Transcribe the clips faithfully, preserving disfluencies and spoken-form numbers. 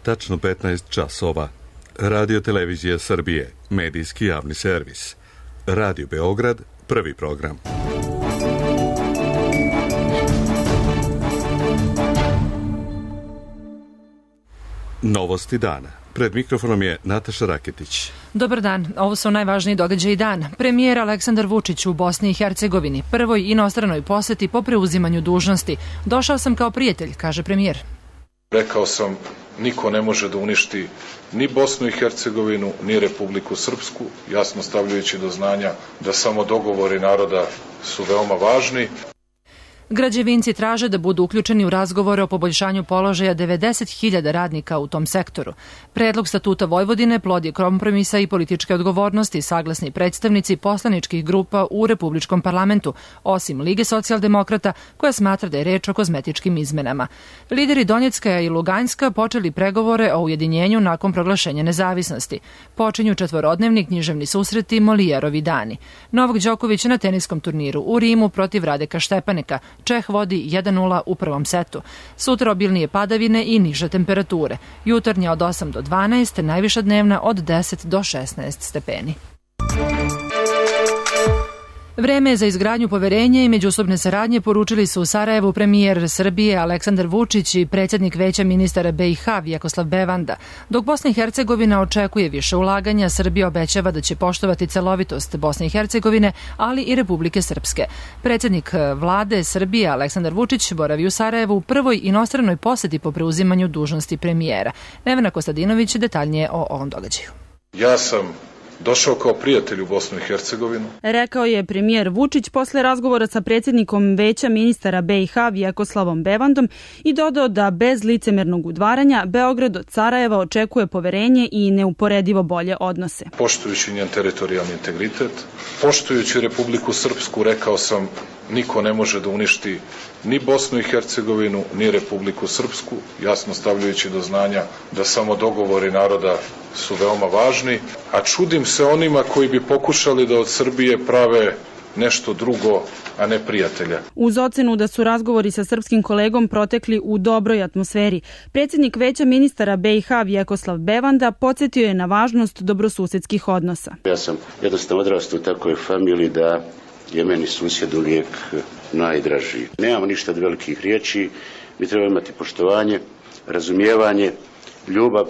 tačno petnaest časova. Radio Televizija Srbije, medijski javni servis. Radio Beograd, prvi program. Novosti dana. Pred mikrofonom je Nataša Raketić. Dobar dan, ovo su najvažniji događaji dan. Premijer Aleksandar Vučić u Bosni i Hercegovini, prvoj inostranoj poseti po preuzimanju dužnosti. Došao sam kao prijatelj, kaže premijer. Rekao sam, niko ne može da uništi ni Bosnu i Hercegovinu, ni Republiku Srpsku, jasno stavljajući do znanja da samo dogovori naroda su veoma važni. Građevinci traže da budu uključeni u razgovore o poboljšanju položaja devedeset hiljada radnika u tom sektoru. Predlog statuta Vojvodine plod je kompromisa i političke odgovornosti, saglasni predstavnici poslaničkih grupa u Republičkom parlamentu, osim Lige socijaldemokrata, koja smatra da je reč o kozmetičkim izmenama. Lideri Donjecka i Luganjska počeli pregovore o ujedinjenju nakon proglašenja nezavisnosti. Počinju četvorodnevni književni susreti Molijerovi dani. Novak Đoković na teniskom turniru u Rimu protiv Radeka Štepaneka. Čeh vodi jedan nula u prvom setu. Sutra obilnije padavine i niže temperature. Jutarnja od osam do dvanaest, najviša dnevna od deset do šesnaest stepeni. Vreme je za izgradnju poverenja i međusobne saradnje, poručili su u Sarajevu premijer Srbije Aleksandar Vučić i predsjednik Veća ministara B i H Vjekoslav Bevanda. Dok Bosna i Hercegovina očekuje više ulaganja, Srbija obećava da će poštovati celovitost Bosne i Hercegovine, ali i Republike Srpske. Predsjednik vlade Srbije Aleksandar Vučić boravi u Sarajevu u prvoj inostranoj poseti po preuzimanju dužnosti premijera. Nevena Kostadinović detaljnije o ovom događaju. Ja sam došao kao prijatelj u Bosnu i Hercegovinu, rekao je premijer Vučić posle razgovora sa predsjednikom Veća ministara B i H Vjekoslavom Bevandom i dodao da bez licemernog udvaranja Beograd od Sarajeva očekuje poverenje i neuporedivo bolje odnose. Poštujući njen teritorijalni integritet, poštujući Republiku Srpsku, rekao sam, niko ne može da uništi ni Bosnu i Hercegovinu, ni Republiku Srpsku, jasno stavljajući do znanja da samo dogovori naroda su veoma važni, a čudim se onima koji bi pokušali da od Srbije prave nešto drugo, a ne prijatelja. Uz ocenu da su razgovori sa srpskim kolegom protekli u dobroj atmosferi, predsjednik Veća ministara B i H Vjekoslav Bevanda podsjetio je na važnost dobrosusedskih odnosa. Ja sam jednostavno odrastao u takvoj familiji da je meni susjed uvijek najdraži. Nemamo ništa od velikih riječi, mi trebamo imati poštovanje, razumijevanje, ljubav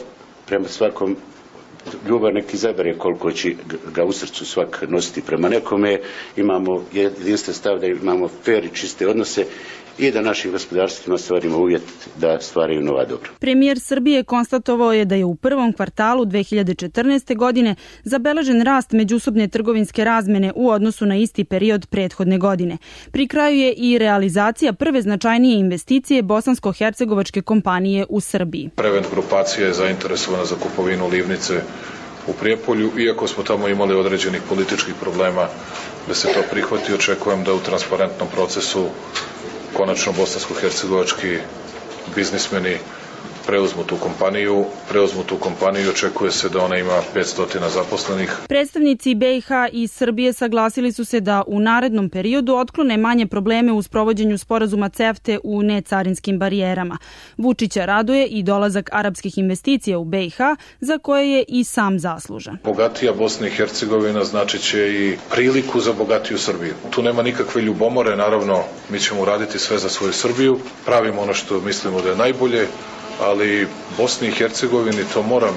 prema svakom. Ljubav neki izabere koliko će ga u srcu svak nositi prema nekome. Imamo jedinstven stav da imamo fer i čiste odnose i da našim gospodarstvima stvarimo uvjet da stvaraju nova dobra. Premijer Srbije konstatovao je da je u prvom kvartalu dve hiljade četrnaeste. godine zabeležen rast međusobne trgovinske razmene u odnosu na isti period prethodne godine. Pri kraju je i realizacija prve značajnije investicije bosansko-hercegovačke kompanije u Srbiji. Prevent grupacija je zainteresovana za kupovinu livnice u Prijepolju, iako smo tamo imali određenih političkih problema da se to prihvati. Očekujem da u transparentnom procesu konačno bosansko-hercegovački biznismeni preuzmu tu kompaniju, preuzmu tu kompaniju, očekuje se da ona ima petsto zaposlenih. Predstavnici B i H i Srbije saglasili su se da u narednom periodu otklone manje probleme u sprovođenju sporazuma CEFTA u necarinskim barijerama. Vučića raduje i dolazak arapskih investicija u B i H, za koje je i sam zaslužan. Bogatija Bosna i Hercegovina znači će i priliku za bogatiju Srbiju. Tu nema nikakve ljubomore, naravno mi ćemo uraditi sve za svoju Srbiju, pravimo ono što mislimo da je najbolje, ali Bosni i Hercegovini, to moram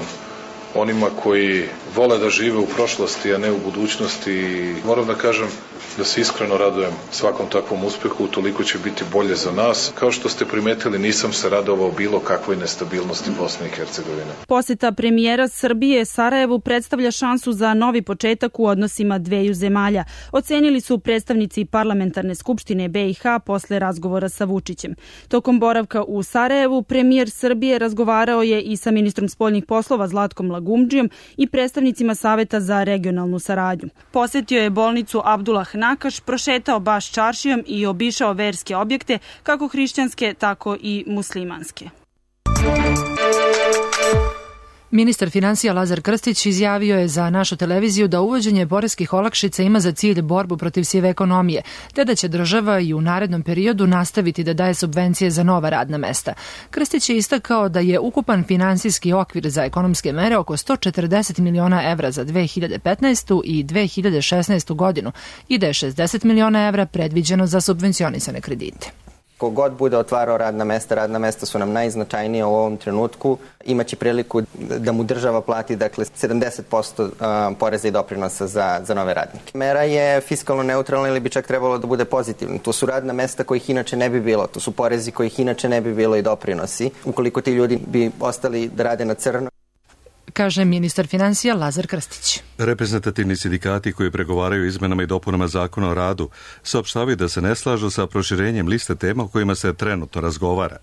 onima koji vole da žive u prošlosti, a ne u budućnosti, moram da kažem da se iskreno radujem svakom takvom uspehu, toliko će biti bolje za nas. Kao što ste primetili, nisam se radovao bilo kakvoj nestabilnosti Bosne i Hercegovine. Poseta premijera Srbije Sarajevu predstavlja šansu za novi početak u odnosima dveju zemalja, ocenili su predstavnici parlamentarne skupštine B i H posle razgovora sa Vučićem. Tokom boravka u Sarajevu, premijer Srbije razgovarao je i sa ministrom spoljnih poslova Zlatkom Lagumdžijom i predstavnicima Saveta za regionalnu saradnju. Posetio je bolnicu Abdullah Nakaš, prošetao baš čaršijom i obišao verske objekte, kako hrišćanske, tako i muslimanske. Ministar finansija Lazar Krstić izjavio je za našu televiziju da uvođenje poreskih olakšica ima za cilj borbu protiv sive ekonomije, te da će država i u narednom periodu nastaviti da daje subvencije za nova radna mesta. Krstić je istakao da je ukupan finansijski okvir za ekonomske mere oko sto četrdeset miliona evra za dve hiljade petnaestu i dve hiljade šesnaestu godinu i da je šezdeset miliona evra predviđeno za subvencionisane kredite. Kogod bude otvarao radna mesta, radna mesta su nam najznačajnija u ovom trenutku, imaće priliku da mu država plati dakle sedamdeset posto poreza i doprinosa za, za nove radnike. Mera je fiskalno neutralna ili bi čak trebalo da bude pozitivna. To su radna mesta kojih inače ne bi bilo, to su porezi kojih inače ne bi bilo i doprinosi. Ukoliko ti ljudi bi ostali da rade na crno, kaže ministar finansija Lazar Krstić. Reprezentativni sindikati koji pregovaraju izmenama i dopunama zakona o radu saopštavaju da se ne slažu sa proširenjem liste tema o kojima se trenutno razgovara.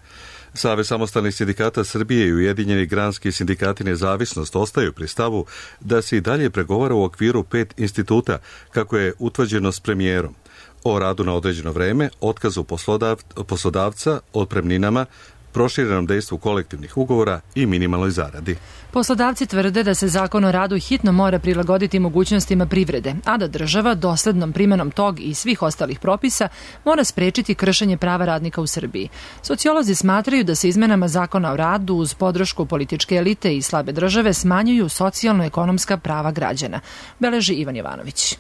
Savez samostalnih sindikata Srbije i Ujedinjeni granski sindikati Nezavisnost ostaju pri stavu da se i dalje pregovara u okviru pet instituta, kako je utvrđeno s premijerom, o radu na određeno vreme, otkazu poslodav, poslodavca, otpremninama, proširenom dejstvu kolektivnih ugovora i minimalnoj zaradi. Poslodavci tvrde da se zakon o radu hitno mora prilagoditi mogućnostima privrede, a da država doslednom primenom tog i svih ostalih propisa mora sprečiti kršenje prava radnika u Srbiji. Sociolozi smatraju da se izmenama zakona o radu uz podršku političke elite i slabe države smanjuju socijalno-ekonomska prava građana, beleži Ivan Jovanović.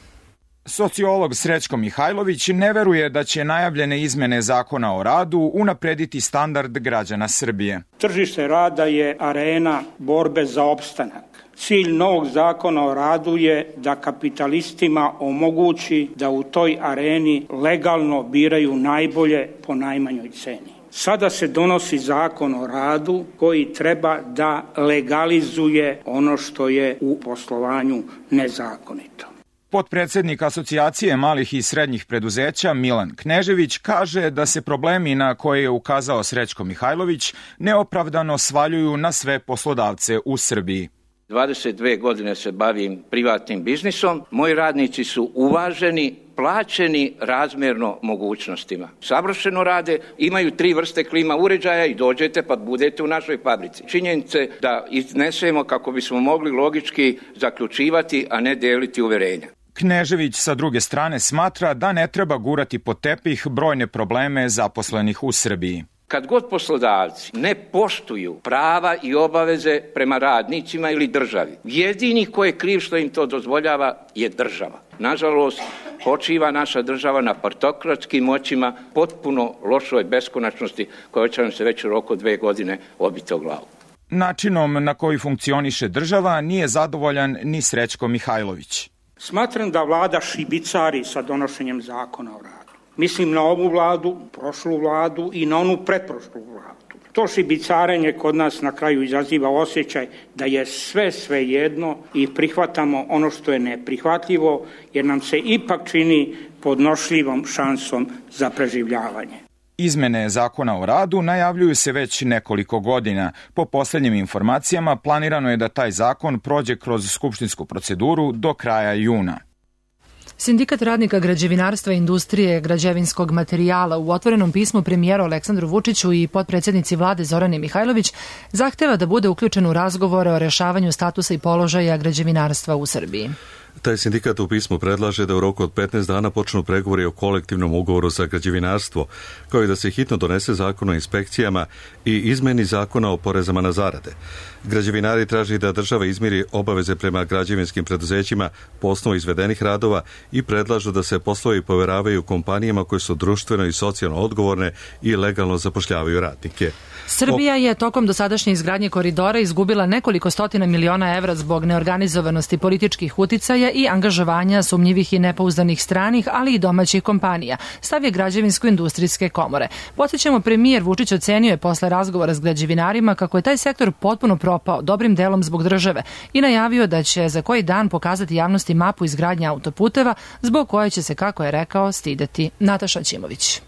Sociolog Srećko Mihajlović ne veruje da će najavljene izmene zakona o radu unaprediti standard građana Srbije. Tržište rada je arena borbe za opstanak. Cilj novog zakona o radu je da kapitalistima omogući da u toj areni legalno biraju najbolje po najmanjoj ceni. Sada se donosi zakon o radu koji treba da legalizuje ono što je u poslovanju nezakonito. Potpredsednik Asocijacije malih i srednjih preduzeća Milan Knežević kaže da se problemi na koje je ukazao Srećko Mihajlović neopravdano svaljuju na sve poslodavce u Srbiji. dvadeset dve godine se bavim privatnim biznisom. Moji radnici su uvaženi, plaćeni razmjerno mogućnostima. Savršeno rade, imaju tri vrste klima uređaja i dođete pa budete u našoj fabrici. Činjenice da iznesemo kako bismo mogli logički zaključivati, a ne deliti uverenja. Knežević sa druge strane smatra da ne treba gurati pod tepih brojne probleme zaposlenih u Srbiji. Kad god poslodavci ne poštuju prava i obaveze prema radnicima ili državi, jedini ko je kriv što im to dozvoljava je država. Nažalost, počiva naša država na partokratskim moćima, potpuno lošoj beskonačnosti koja će nam se već u roku dve godine obiti o glavu. Načinom na koji funkcioniše država nije zadovoljan ni Srećko Mihajlović. Smatram da vlada šibicari sa donošenjem zakona o radu. Mislim na ovu vladu, prošlu vladu i na onu pretprošlu vladu. To šibicarenje kod nas na kraju izaziva osjećaj da je sve sve jedno i prihvatamo ono što je neprihvatljivo, jer nam se ipak čini podnošljivom šansom za preživljavanje. Izmene zakona o radu najavljuju se već nekoliko godina. Po poslednjim informacijama planirano je da taj zakon prođe kroz skupštinsku proceduru do kraja juna. Sindikat radnika građevinarstva i industrije građevinskog materijala u otvorenom pismu premijeru Aleksandru Vučiću i potpredsjednici vlade Zorane Mihajlović zahteva da bude uključen u razgovore o rešavanju statusa i položaja građevinarstva u Srbiji. Taj sindikat u pismu predlaže da u roku od petnaest dana počnu pregovori o kolektivnom ugovoru za građevinarstvo, kao i da se hitno donese zakon o inspekcijama i izmeni zakona o porezama na zarade. Građevinari traži da država izmiri obaveze prema građevinskim preduzećima po osnovu izvedenih radova i predlažu da se poslovi poveravaju kompanijama koje su društveno i socijalno odgovorne i legalno zapošljavaju radnike. Srbija je tokom dosadašnje izgradnje koridora izgubila nekoliko stotina miliona evra zbog neorganizovanosti političkih uticaja i angažovanja sumnjivih i nepouzdanih stranih, ali i domaćih kompanija, stav je Građevinsko-industrijske komore. Podsjećamo, premijer Vučić ocenio je posle razgovora s građevinarima kako je taj sektor potpuno propao, dobrim delom zbog države, i najavio da će za koji dan pokazati javnosti mapu izgradnje autoputeva, zbog koje će se, kako je rekao, stideti. Nataša Ćimović.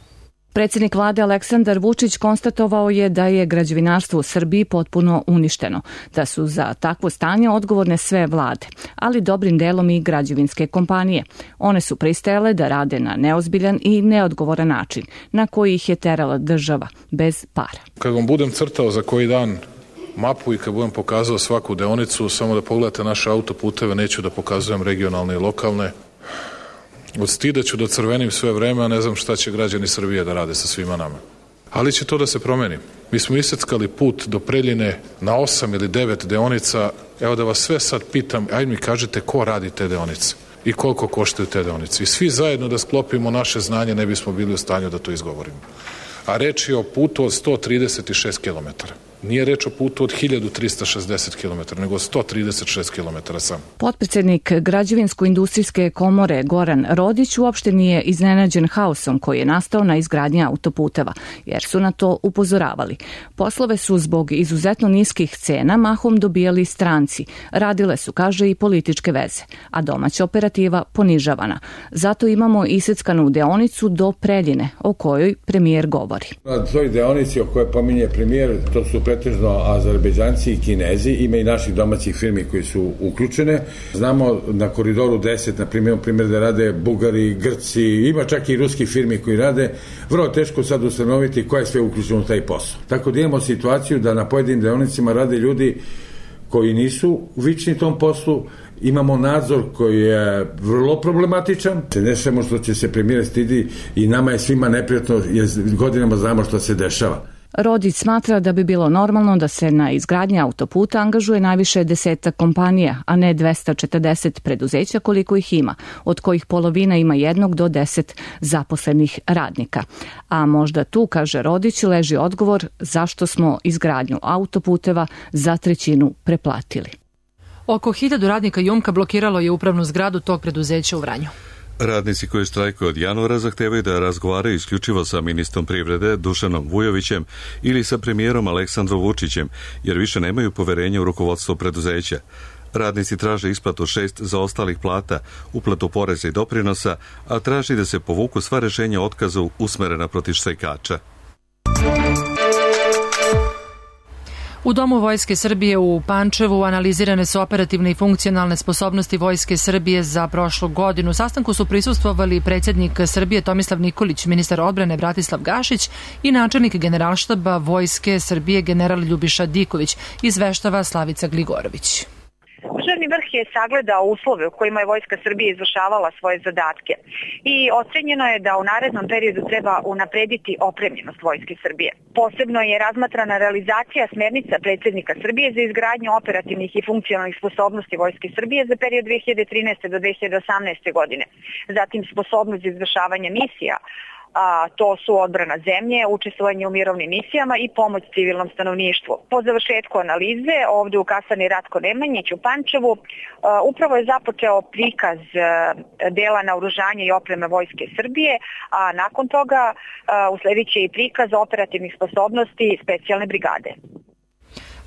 Predsjednik vlade Aleksandar Vučić konstatovao je da je građevinarstvo u Srbiji potpuno uništeno, da su za takvo stanje odgovorne sve vlade, ali dobrim delom i građevinske kompanije. One su pristajale da rade na neozbiljan i neodgovoran način, na koji ih je terala država, bez para. Kad vam budem crtao za koji dan mapu i kad budem pokazao svaku deonicu, samo da pogledate naše autoputeve, neću da pokazujem regionalne i lokalne. Od stida ću da crvenim sve vreme, a ne znam šta će građani Srbije da rade sa svima nama. Ali će to da se promeni. Mi smo iseckali put do Preljine na osam ili devet deonica. Evo da vas sve sad pitam, ajde mi kažete ko radi te deonice i koliko koštaju te deonice. I svi zajedno da sklopimo naše znanje, ne bismo bili u stanju da to izgovorimo. A reč je o putu od sto trideset šest kilometara. Nije reč o putu od hiljadu trista šezdeset kilometara, nego sto trideset šest kilometara samo. Potpredsednik Građevinsko-industrijske komore Goran Rodić uopšte nije iznenađen haosom koji je nastao na izgradnji autoputeva, jer su na to upozoravali. Poslove su zbog izuzetno niskih cena mahom dobijali stranci. Radile su, kaže, i političke veze, a domaća operativa ponižavana. Zato imamo iseckanu deonicu do Preljine, o kojoj premijer govori. Na toj deonici o kojoj pominje premijer, to su pretežno Azerbejdžanci i Kinezi, ima i naših domaćih firmi koji su uključene. Znamo na koridoru deset, na primjer, primjer da rade Bugari, Grci, ima čak i ruski firmi koji rade. Vrlo teško sad ustanoviti ko je sve uključeno u taj posao. Tako da imamo situaciju da na pojedinim deonicima rade ljudi koji nisu vični tom poslu. Imamo nadzor koji je vrlo problematičan. Ne samo što će se premijer stidi i nama je svima neprijatno jer godinama znamo što se dešava. Rodić smatra da bi bilo normalno da se na izgradnji autoputa angažuje najviše desetak kompanija, a ne dvesta četrdeset preduzeća koliko ih ima, od kojih polovina ima jednog do deset zaposlenih radnika. A možda tu, kaže Rodić, leži odgovor zašto smo izgradnju autoputeva za trećinu preplatili. Oko hiljadu radnika Jumka blokiralo je upravnu zgradu tog preduzeća u Vranju. Radnici koji štrajkuju od januara zahtevaju da razgovaraju isključivo sa ministrom privrede Dušanom Vujovićem ili sa premijerom Aleksandrom Vučićem, jer više nemaju poverenja u rukovodstvo preduzeća. Radnici traže isplatu šest zaostalih plata, uplatu poreza i doprinosa, a traži da se povuku sva rešenja o otkazu usmerena protiv štrajkača. U Domu Vojske Srbije u Pančevu analizirane su operativne i funkcionalne sposobnosti Vojske Srbije za prošlu godinu. U sastanku su prisustvovali predsjednik Srbije Tomislav Nikolić, ministar odbrane Bratislav Gašić i načelnik Generalštaba Vojske Srbije general Ljubiša Diković, izveštava Slavica Gligorović. Državni vrh je sagledao uslove u kojima je Vojska Srbije izvršavala svoje zadatke i ocenjeno je da u narednom periodu treba unaprediti opremljenost Vojske Srbije. Posebno je razmatrana realizacija smernica predsjednika Srbije za izgradnju operativnih i funkcionalnih sposobnosti Vojske Srbije za period dve hiljade trinaeste do dve hiljade osamnaeste. godine. Zatim sposobnost za izvršavanje misija, a to su odbrana zemlje, učestvovanje u mirovnim misijama i pomoć civilnom stanovništvu. Po završetku analize, ovdje u kasarni Ratko Nemanjić u Pančevu, upravo je započeo prikaz dela naoružanja i opreme Vojske Srbije, a nakon toga usledit će i prikaz operativnih sposobnosti specijalne brigade.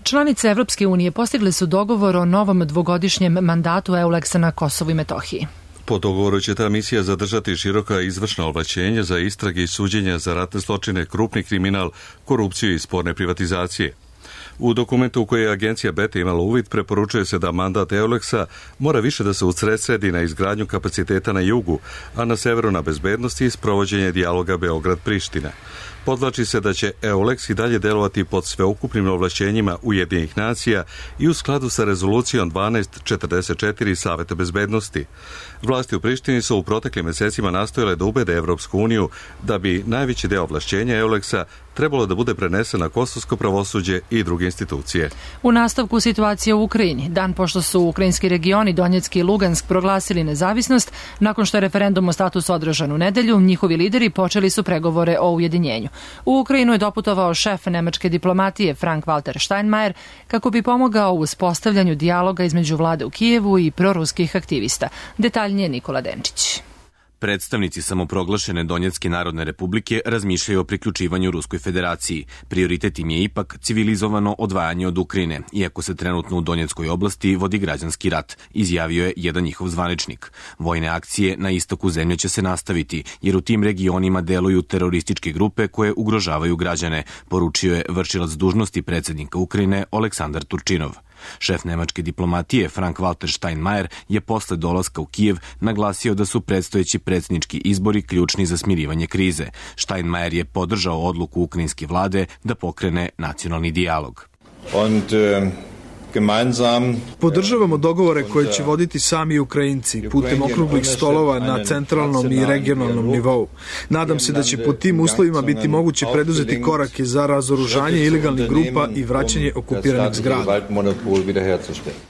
Članice Evropske unije postigle su dogovor o novom dvogodišnjem mandatu EULEX-a na Kosovu i Metohiji. Po dogovoru će ta misija zadržati široka izvršna ovlašćenja za istrage i suđenja za ratne zločine, krupni kriminal, korupciju i sporne privatizacije. U dokumentu u kojoj je agencija Beta imala uvid preporučuje se da mandat EULEX-a mora više da se usredsredi na izgradnju kapaciteta na jugu, a na severu na bezbednosti i sprovođenje dijaloga Beograd-Priština. Podvlači se da će EULEX i dalje delovati pod sveukupnim ovlašćenjima Ujedinjenih nacija i u skladu sa rezolucijom dvanaest četrdeset četiri Saveta bezbednosti. Vlasti u Prištini su u proteklim mesecima nastojale da ubede Evropsku uniju da bi najveći deo ovlašćenja EULEX-a trebalo da bude prenesen na kosovsko pravosuđe i druge institucije. U nastavku situacije u Ukrajini, dan pošto su ukrajinski regioni Donjecki i Lugansk proglasili nezavisnost, nakon što je referendum o statusu održan u nedelju, njihovi lideri počeli su pregovore o ujedinjenju. U Ukrajinu je doputovao šef nemačke diplomatije Frank-Walter Steinmeier kako bi pomogao u uspostavljanju dijaloga između vlade u Kijevu i proruskih aktivista. Detaljnije Nikola Denčić. Predstavnici samoproglašene Donjecke narodne republike razmišljaju o priključivanju Ruskoj federaciji. Prioritet im je ipak civilizovano odvajanje od Ukrajine, iako se trenutno u Donjeckoj oblasti vodi građanski rat, izjavio je jedan njihov zvaničnik. Vojne akcije na istoku zemlje će se nastaviti, jer u tim regionima deluju terorističke grupe koje ugrožavaju građane, poručio je vršilac dužnosti predsjednika Ukrajine Oleksandar Turčinov. Šef nemačke diplomatije Frank-Walter Steinmeier je posle dolaska u Kijev naglasio da su predstojeći predsjednički izbori ključni za smirivanje krize. Steinmeier je podržao odluku ukrajinske vlade da pokrene nacionalni dijalog. Und, uh... Podržavamo dogovore koje će voditi sami Ukrajinci putem okruglih stolova na centralnom i regionalnom nivou. Nadam se da će pod tim uslovima biti moguće preduzeti korake za razoružanje ilegalnih grupa i vraćanje okupiranih zgrada.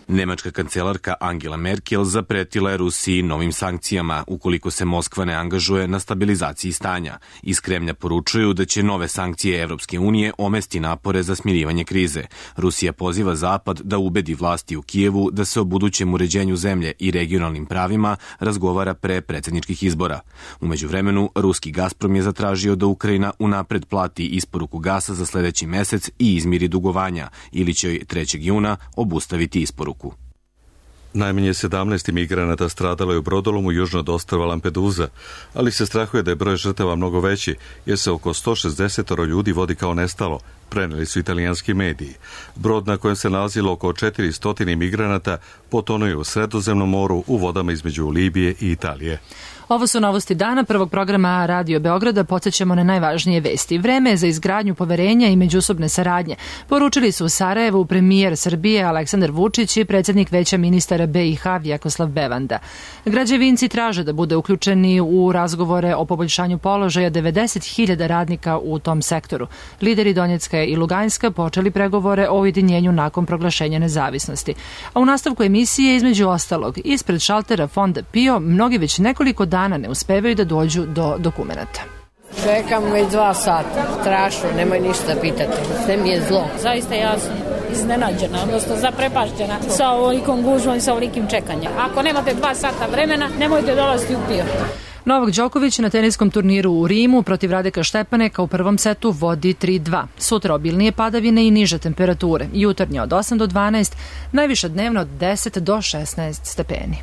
Nemačka kancelarka Angela Merkel zapretila je Rusiji novim sankcijama ukoliko se Moskva ne angažuje na stabilizaciji stanja. Iz Kremlja poručuju da će nove sankcije Evropske unije omesti napore za smirivanje krize. Rusija poziva Zapad da ubedi vlasti u Kijevu da se o budućem uređenju zemlje i regionalnim pravima razgovara pre predsjedničkih izbora. U međuvremenu, ruski Gazprom je zatražio da Ukrajina unapred plati isporuku gasa za sledeći mesec i izmiri dugovanja, ili će trećeg juna obustaviti isporuku. Najmanje sedamnaest imigranata stradalo je u brodolomu južno od ostrva Lampedusa, ali se strahuje da je broj žrtava mnogo veći, jer se oko sto šezdeset ljudi vodi kao nestalo, preneli su italijanski mediji. Brod na kojem se nalazilo oko četiristo imigranata potonuo je u Sredozemnom moru u vodama između Libije i Italije. Ovo su novosti dana prvog programa Radio Beograda. Podsjećamo na najvažnije vesti. Vreme je za izgradnju poverenja i međusobne saradnje. Poručili su u Sarajevu premijer Srbije Aleksandar Vučić i predsjednik Veća ministara B i H Vjekoslav Bevanda. Građevinci traže da bude uključeni u razgovore o poboljšanju položaja devedeset hiljada radnika u tom sektoru. Lideri Donjecka i Luganjska počeli pregovore o ujedinjenju nakon proglašenja nezavisnosti. A u nastavku emisije, između ostalog, ispred šaltera fonda PIO mnogi već nekoliko dana ne uspevaju da dođu do dokumenata. Čekam već dva sata. Strašno, nemoj ništa pitati. Sve mi je zlo. Zaista ja sam iznenađena, odnosno zaprepašćena sa ovolikom gužvom i sa ovolikim čekanjem. Ako nemate dva sata vremena, nemojte dolaziti u PIO. Novak Đoković na teniskom turniru u Rimu protiv Radeka Štepaneka u prvom setu vodi tri dva. Sutra obilnije padavine i niže temperature. Jutarnje od osam do dvanaest, najviša dnevno od deset do šesnaest stepeni.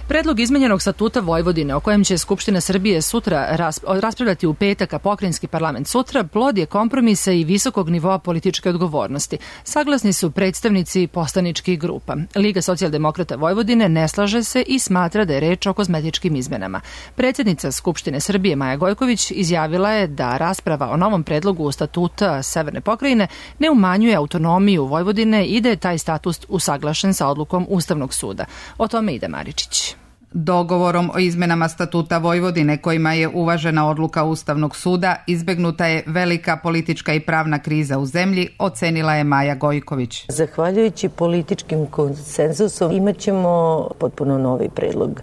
Predlog izmenjenog statuta Vojvodine, o kojem će Skupština Srbije sutra raspravljati u petak, a pokrajinski parlament sutra, plod je kompromisa i visokog nivoa političke odgovornosti. Saglasni su predstavnici poslaničkih grupa. Liga socijaldemokrata Vojvodine ne slaže se i smatra da je reč o kozmetičkim izmenama. Predsjednica Skupštine Srbije Maja Gojković izjavila je da rasprava o novom predlogu statuta Severne pokrajine ne umanjuje autonomiju Vojvodine i da je taj status usaglašen sa odlukom Ustavnog suda. O tome ide Maričić. Dogovorom o izmenama statuta Vojvodine, kojima je uvažena odluka Ustavnog suda, izbegnuta je velika politička i pravna kriza u zemlji, ocenila je Maja Gojković. Zahvaljujući političkim konsenzusom imat ćemo potpuno novi predlog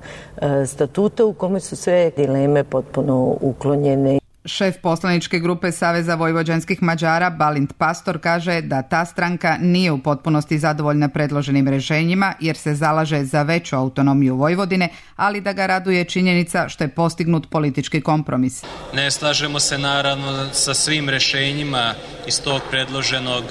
statuta u kome su sve dileme potpuno uklonjene. Šef poslaničke grupe Saveza vojvođanskih Mađara Balint Pastor kaže da ta stranka nije u potpunosti zadovoljna predloženim rešenjima jer se zalaže za veću autonomiju Vojvodine, ali da ga raduje činjenica što je postignut politički kompromis. Ne slažemo se naravno sa svim rešenjima iz tog predloženog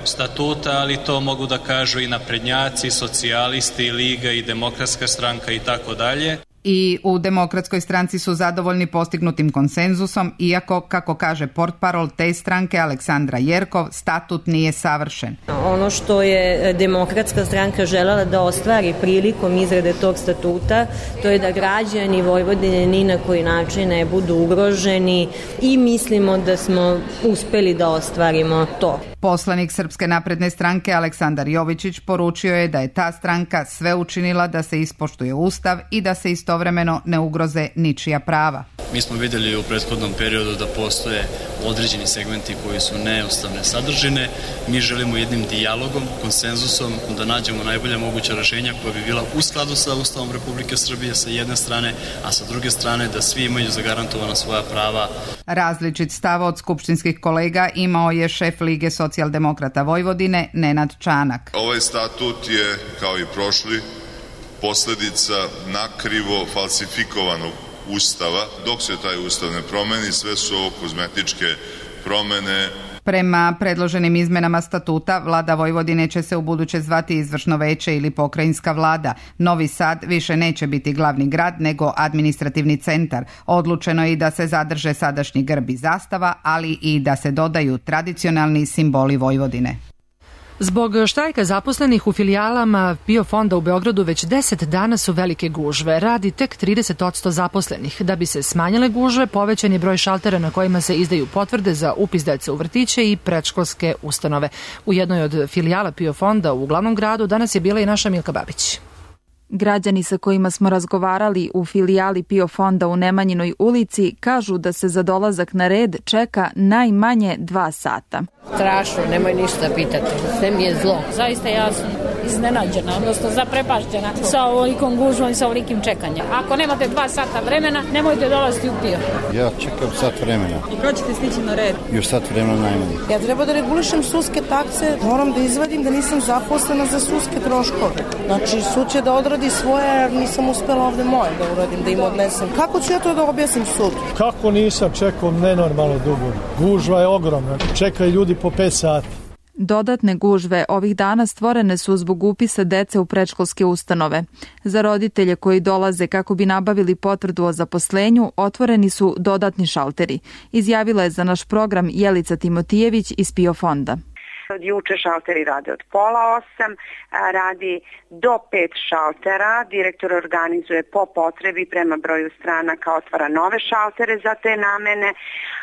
statuta, ali to mogu da kažu i naprednjaci, socijalisti, Liga i Demokratska stranka i tako dalje. I u Demokratskoj stranci su zadovoljni postignutim konsenzusom, iako, kako kaže portparol te stranke Aleksandra Jerkov, statut nije savršen. Ono što je Demokratska stranka želela da ostvari prilikom izrade tog statuta, to je da građani Vojvodine ni na koji način ne budu ugroženi i mislimo da smo uspeli da ostvarimo to. Poslanik Srpske napredne stranke Aleksandar Jovičić poručio je da je ta stranka sve učinila da se ispoštuje Ustav i da se istovremeno ne ugroze ničija prava. Mi smo vidjeli u prethodnom periodu da postoje određeni segmenti koji su neustavne sadržine. Mi želimo jednim dijalogom, konsenzusom da nađemo najbolja moguća rešenja koja bi bila u skladu sa Ustavom Republike Srbije sa jedne strane, a sa druge strane da svi imaju zagarantovana svoja prava. Različit stav od skupštinskih kolega imao je šef Lige socijaldemokrata Vojvodine Nenad Čanak. Ovaj statut je, kao i prošli, posledica nakrivo falsifikovanog Ustava. Dok se taj Ustav ne promeni, sve su ovo kozmetičke promene. Prema predloženim izmenama statuta, vlada Vojvodine će se u buduće zvati izvršno veće ili pokrajinska vlada. Novi Sad više neće biti glavni grad, nego administrativni centar. Odlučeno je i da se zadrže sadašnji grb i zastava, ali i da se dodaju tradicionalni simboli Vojvodine. Zbog štrajka zaposlenih u filijalama PIO fonda u Beogradu već deset dana su velike gužve. Radi tek trideset posto zaposlenih. Da bi se smanjile gužve, povećan je broj šaltera na kojima se izdaju potvrde za upis dece u vrtiće i predškolske ustanove. U jednoj od filijala PIO fonda u glavnom gradu danas je bila i naša Milka Babić. Građani sa kojima smo razgovarali u filijali PIO fonda u Nemanjinoj ulici kažu da se za dolazak na red čeka najmanje dva sata. Strašno, nemoj ništa pitati, sve mi je zlo. Zaista ja sam iznenađena, odnosno zaprepašćena sa ovolikom gužvom i sa ovolikim čekanjem. Ako nemate dva sata vremena, nemojte dolaziti u PIO. Ja čekam sat vremena. I kada ćete stići na red? Još sat vremena najmanje. Ja treba da regulišem sudske takse, moram da izvadim da nisam zaposlena za sudske troškove. Znači, sud će da odradi svoje, jer nisam uspela ovde moje da uradim, da im odnesem. Kako ću ja to da objasnim sudu? Kako nisam čekao nenormalno dugo? Gužva je ogromna, čekaju ljudi po pet sati. Dodatne gužve ovih dana stvorene su zbog upisa dece u predškolske ustanove. Za roditelje koji dolaze kako bi nabavili potvrdu o zaposlenju, otvoreni su dodatni šalteri. Izjavila je za naš program Jelica Timotijević iz PIO fonda. Od juče šalteri rade od pola osam, radi do pet šaltera. Direktor organizuje po potrebi prema broju stranaka, otvara nove šaltere za te namene.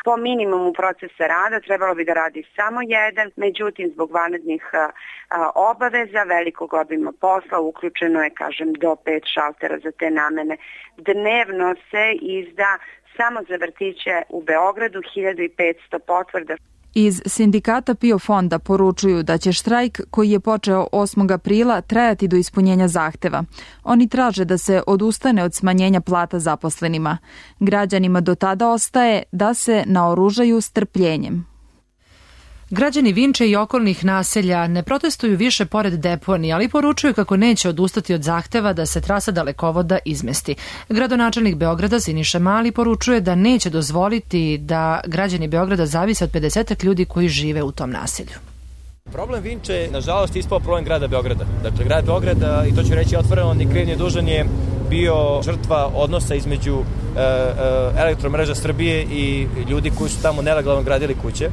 Po minimumu procesa rada trebalo bi da radi samo jedan, međutim zbog vanrednih obaveza, velikog obima posla, uključeno je, kažem, do pet šaltera za te namene. Dnevno se izda samo za vrtiće u Beogradu hiljadu petsto potvrda. Iz sindikata PIO fonda poručuju da će štrajk koji je počeo osmog aprila trajati do ispunjenja zahteva. Oni traže da se odustane od smanjenja plata zaposlenima. Građanima do tada ostaje da se naoružaju strpljenjem. Građani Vinče i okolnih naselja ne protestuju više pored deponije, ali poručuju kako neće odustati od zahteva da se trasa dalekovoda izmesti. Gradonačelnik Beograda Siniša Mali poručuje da neće dozvoliti da građani Beograda zavise od pedeset ljudi koji žive u tom naselju. Problem Vinče je, nažalost, ispao problem grada Beograda. Dakle, grad Beograda, i to ću reći otvoreno, ni kriv ni dužan, je bio žrtva odnosa između e, e, Elektromreža Srbije i ljudi koji su tamo nelegalno gradili kuće.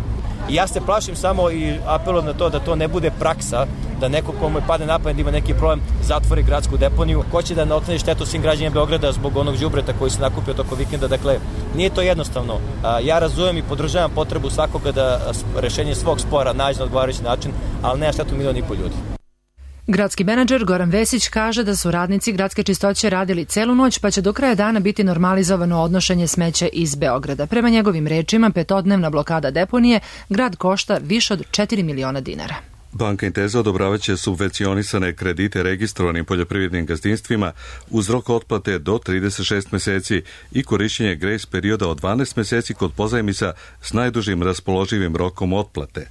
I ja se plašim samo i apelujem na to da to ne bude praksa, da neko komu padne na pamet da ima neki problem zatvori gradsku deponiju. Ko će da naknadi štetu svim građanima Beograda zbog onog đubreta koji se nakupio toko vikenda. Dakle, nije to jednostavno. Ja razumem i podržavam potrebu svakoga da rešenje svog spora nađe na odgovarajući način, ali nema štetu milion i pol ljudi. Gradski menadžer Goran Vesić kaže da su radnici gradske čistoće radili celu noć, pa će do kraja dana biti normalizovano odnošenje smeća iz Beograda. Prema njegovim rečima, petodnevna blokada deponije grad košta više od četiri miliona dinara. Banka Inteza odobravaće subvencionisane kredite registrovanim poljoprivrednim gazdinstvima uz rok otplate do trideset šest meseci i korišćenje grace perioda od dvanaest meseci kod pozajmica s najdužim raspoloživim rokom otplate.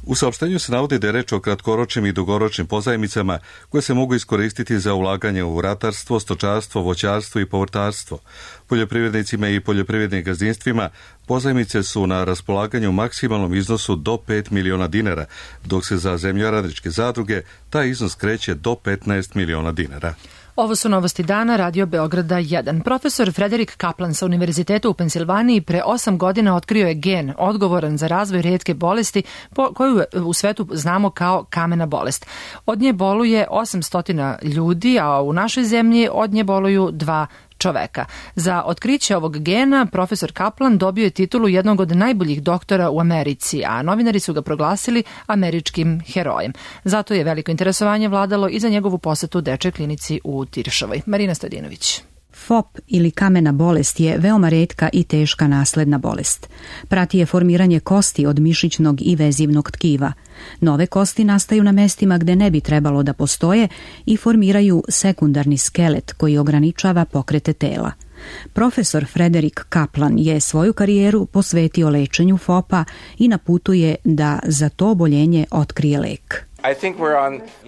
U saopštenju se navodi da je reč o kratkoročnim i dugoročnim pozajmicama koje se mogu iskoristiti za ulaganje u ratarstvo, stočarstvo, voćarstvo i povrtarstvo. Poljoprivrednicima i poljoprivrednim gazdinstvima pozajmice su na raspolaganju u maksimalnom iznosu do pet miliona dinara, dok se za zemljoradničke zadruge taj iznos kreće do petnaest miliona dinara. Ovo su novosti dana Radio Beograda jedan. Profesor Frederik Kaplan sa Univerziteta u Pensilvaniji pre osam godina otkrio je gen odgovoran za razvoj retke bolesti po, koju u svetu znamo kao kamena bolest. Od nje boluje osamsto ljudi, a u našoj zemlji od nje boluju dva čoveka. Za otkriće ovog gena profesor Kaplan dobio je titulu jednog od najboljih doktora u Americi, a novinari su ga proglasili američkim herojem. Zato je veliko interesovanje vladalo i za njegovu posetu dečjoj klinici u Tiršovoj. Marina Stojadinović. F O P ili kamena bolest je veoma retka i teška nasledna bolest. Prati je formiranje kosti od mišićnog i vezivnog tkiva. Nove kosti nastaju na mestima gde ne bi trebalo da postoje i formiraju sekundarni skelet koji ograničava pokrete tela. Profesor Frederik Kaplan je svoju karijeru posvetio lečenju F O P-a i na putu je da za to oboljenje otkrije lek.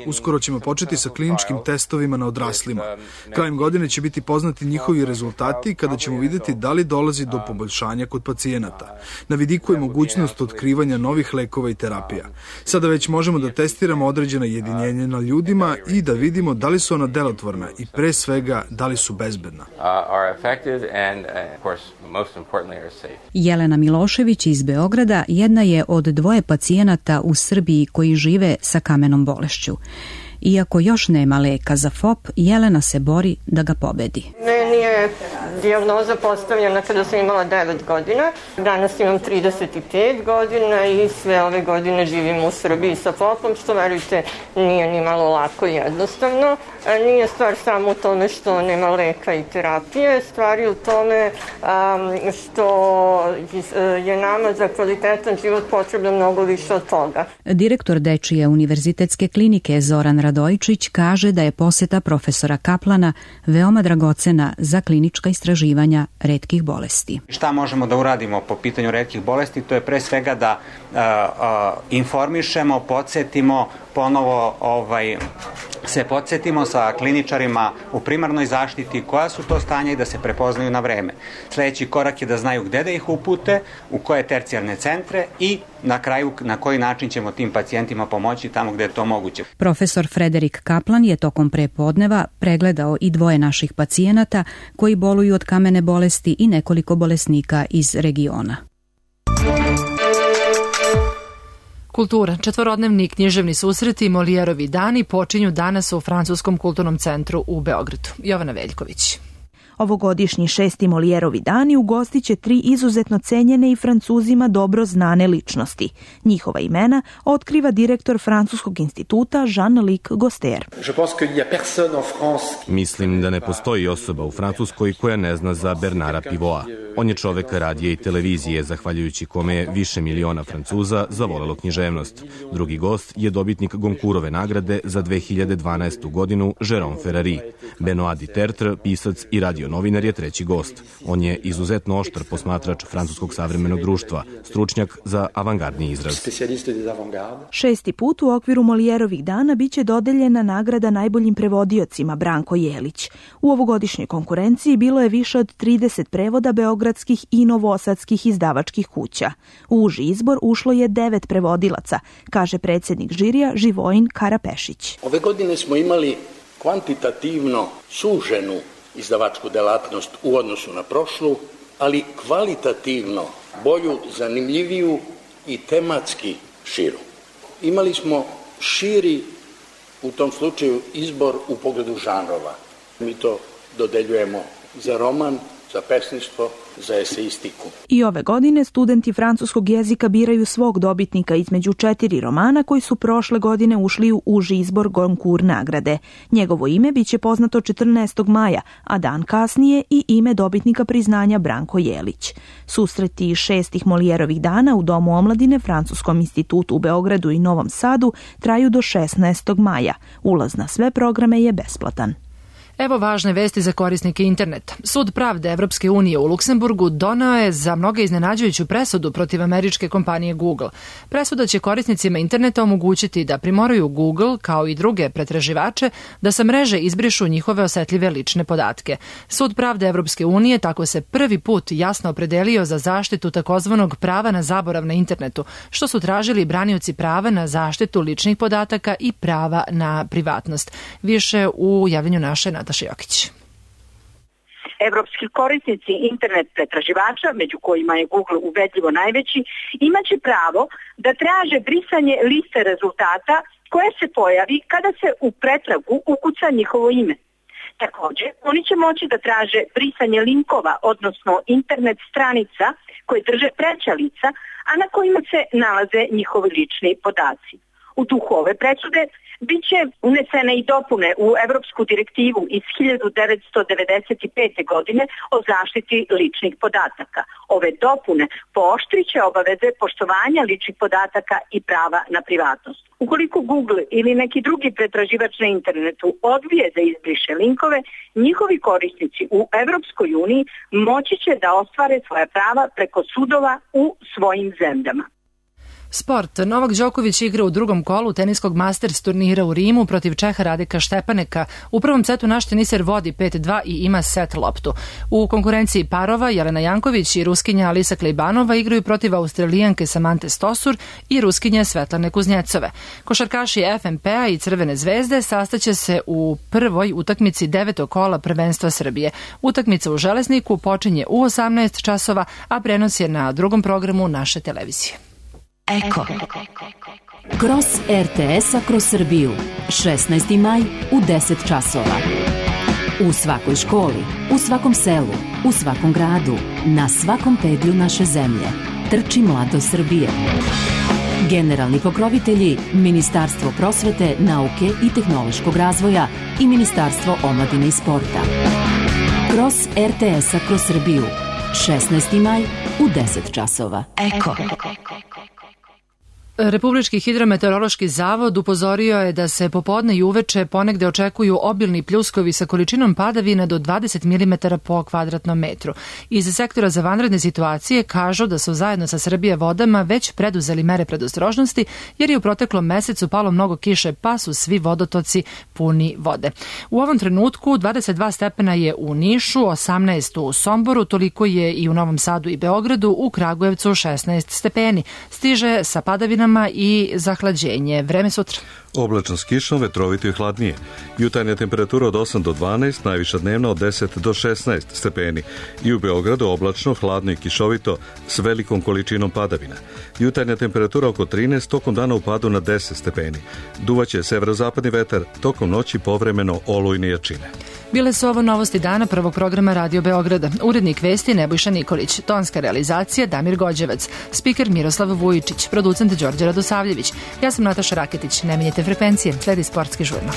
Uskoro ćemo početi sa kliničkim testovima na odraslima. Krajem godine će biti poznati njihovi rezultati kada ćemo vidjeti da li dolazi do poboljšanja kod pacijenata. Na vidiku je mogućnost otkrivanja novih lekova i terapija. Sada već možemo da testiramo određena jedinjenja na ljudima i da vidimo da li su ona delotvorna i pre svega da li su bezbedna. Jelena Milošević iz Beograda jedna je od dvoje pacijenata u Srbiji koji žive sa kamenom bolešću. Iako još nema leka za F O P, Jelena se bori da ga pobedi. Meni je dijagnoza postavljena kada sam imala devet godina. Danas imam trideset pet godina i sve ove godine živim u Srbiji sa F O P-om, što verujte nije ni malo lako i jednostavno. Nije stvar samo u tome što nema leka i terapije, stvar je u tome um, što je nama za kvalitetan život potrebno mnogo više od toga. Direktor Dečije univerzitetske klinike Zoran Radojičić kaže da je poseta profesora Kaplana veoma dragocena za klinička istraživanja retkih bolesti. Šta možemo da uradimo po pitanju retkih bolesti? To je pre svega da uh, uh, informišemo, podsjetimo, ponovo ovaj, se podsjetimo sa kliničarima u primarnoj zaštiti koja su to stanja i da se prepoznaju na vreme. Sljedeći korak je da znaju gde da ih upute, u koje tercijarne centre i na kraju na koji način ćemo tim pacijentima pomoći tamo gde je to moguće. Profesor Frederik Kaplan je tokom prepodneva pregledao i dvoje naših pacijenata koji boluju od kamene bolesti i nekoliko bolesnika iz regiona. Kultura. Četvorodnevni književni susreti Molijerovi dani počinju danas u Francuskom kulturnom centru u Beogradu. Jovana Veljković. Ovogodišnji šesti Molijerovi dani ugostit će tri izuzetno cenjene i Francuzima dobro znane ličnosti. Njihova imena otkriva direktor Francuskog instituta Jean-Luc Goster. Mislim da ne postoji osoba u Francuskoj koja ne zna za Bernara Pivoa. On je čovek radija i televizije, zahvaljujući kome je više miliona Francuza zavolelo književnost. Drugi gost je dobitnik Goncourtove nagrade za dve hiljade dvanaestu godinu Jérôme Ferrari. Benoît Dutertre, pisac i radio novinar, je treći gost. On je izuzetno oštar posmatrač francuskog savremenog društva, stručnjak za avangardni izraz. Šesti put u okviru Molijerovih dana biće dodeljena nagrada najboljim prevodiocima Branko Jelić. U ovogodišnjoj konkurenciji bilo je više od trideset prevoda beogradskih i novosadskih izdavačkih kuća. U uži izbor ušlo je devet prevodilaca, kaže predsjednik žirija Živojin Karapešić. Ove godine smo imali kvantitativno suženu izdavačku delatnost u odnosu na prošlu, ali kvalitativno bolju, zanimljiviju i tematski širu. Imali smo širi, u tom slučaju, izbor u pogledu žanrova. Mi to dodeljujemo za roman, za pesništvo, za eseistiku. I ove godine studenti francuskog jezika biraju svog dobitnika između četiri romana koji su prošle godine ušli u uži izbor Goncourt nagrade. Njegovo ime biće poznato četrnaestog maja, a dan kasnije i ime dobitnika priznanja Branko Jelić. Susreti šestih Molijerovih dana u Domu omladine Francuskom institutu u Beogradu i Novom Sadu traju do šesnaestog maja. Ulaz na sve programe je besplatan. Evo važne vesti za korisnike interneta. Sud pravde Evropske unije u Luksemburgu doneo je za mnoge iznenađujuću presudu protiv američke kompanije Google. Presuda će korisnicima interneta omogućiti da primoraju Google, kao i druge pretraživače, da sa mreže izbrišu njihove osetljive lične podatke. Sud pravde Evropske unije tako se prvi put jasno opredelio za zaštitu takozvanog prava na zaborav na internetu, što su tražili branioci prava na zaštitu ličnih podataka i prava na privatnost. Više u javljanju naše Nataše Jokić. Evropski korisnici internet pretraživača, među kojima je Google ubedljivo najveći, imaće pravo da traže brisanje liste rezultata koje se pojavi kada se u pretragu ukuca njihovo ime. Također, oni će moći da traže brisanje linkova, odnosno internet stranica koje drže treća lica, a na kojima se nalaze njihovi lični podaci. U duhu ove presude biće unesene i dopune u Evropsku direktivu iz hiljadu devetsto devedeset pete. godine o zaštiti ličnih podataka. Ove dopune pooštriće obaveze poštovanja ličnih podataka i prava na privatnost. Ukoliko Google ili neki drugi pretraživač na internetu odbije da izbriše linkove, njihovi korisnici u Evropskoj uniji moći će da ostvare svoja prava preko sudova u svojim zemljama. Sport. Novak Đoković igra u drugom kolu teniskog Masters turnira u Rimu protiv Čeha Radeka Štepaneka. U prvom setu naš teniser vodi pet dva i ima set loptu. U konkurenciji parova Jelena Janković i Ruskinja Alisa Klejbanova igraju protiv Australijanke Samante Stosur i Ruskinje Svetlane Kuznjecove. Košarkaši F N P-a i Crvene zvezde sastaće se u prvoj utakmici devetog kola prvenstva Srbije. Utakmica u Železniku počinje u osamnaest časova, a prenos je na drugom programu naše televizije. Eko. Kroz er te es-a kroz Srbiju. šesnaesti maj u deset časova. U svakoj školi, u svakom selu, u svakom gradu, na svakom pedlju naše zemlje. Trči mladost Srbije. Generalni pokrovitelji Ministarstvo prosvete, nauke i tehnološkog razvoja i Ministarstvo omladine i sporta. Kroz er te es-a kroz Srbiju. šesnaesti maj u deset časova. Eko. Republički hidrometeorološki zavod upozorio je da se popodne i uveče ponegde očekuju obilni pljuskovi sa količinom padavina do dvadeset milimetara po kvadratnom metru. Iz sektora za vanredne situacije kažu da su zajedno sa Srbija vodama već preduzeli mere predostrožnosti jer je u proteklom mesecu palo mnogo kiše pa su svi vodotoci puni vode. U ovom trenutku dvadeset dva stepena je u Nišu, osamnaest u Somboru, toliko je i u Novom Sadu i Beogradu, u Kragujevcu šesnaest stepeni. Stiže sa padavinama i zahlađenje. Vreme sutra. Oblačno s kišom, vetrovito i hladnije. Jutarnja temperatura od osam do dvanaest, najviša dnevna od deset do šesnaest stepeni. I u Beogradu oblačno, hladno i kišovito s velikom količinom padavina. Jutarnja temperatura oko trinaest, tokom dana u padu na deset stepeni. Duvaće severozapadni vetar, tokom noći povremeno olujne jačine. Bile su ovo novosti dana prvog programa Radio Beograda. Urednik vesti Nebojša Nikolić, tonska realizacija Damir Gođevac, spiker Miroslav Vujičić, producent Đorđe Radosavljević. Ja sam Nataša Raketić. Ne menjajte frekvencije, sledi sportski žurnal.